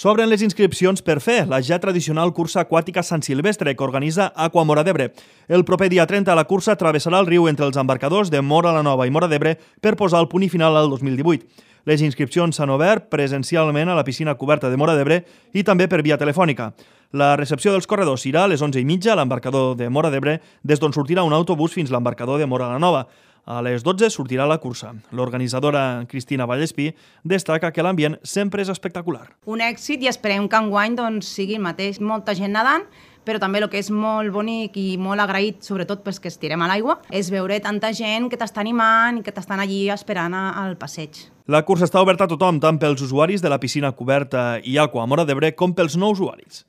S'obren les inscripcions per fer la ja tradicional cursa aquàtica Sant Silvestre que organitza Aqua Móra d'Ebre. El proper dia 30 la cursa travessarà el riu entre els embarcadors de Móra la Nova i Móra d'Ebre per posar el punt i final al 2018. Les inscripcions s'han obert presencialment a la piscina coberta de Móra d'Ebre i també per via telefònica. La recepció dels corredors serà a les 11:30 a l'embarcador de Móra d'Ebre, des d'on sortirà un autobús fins a l'embarcador de Móra la Nova. A les 12 sortirà la cursa. L'organitzadora Cristina Vallespí destaca que l'ambient sempre és espectacular. Un èxit i esperem que enguany sigui el mateix. Molta gent nedant, però també el que és molt bonic i molt agraït, sobretot pels que estirem a l'aigua, és veure tanta gent que t'està animant i que t'estan allí esperant al passeig. La cursa està oberta a tothom, tant pels usuaris de la piscina coberta i Aqua Móra d'Ebre com pels no usuaris.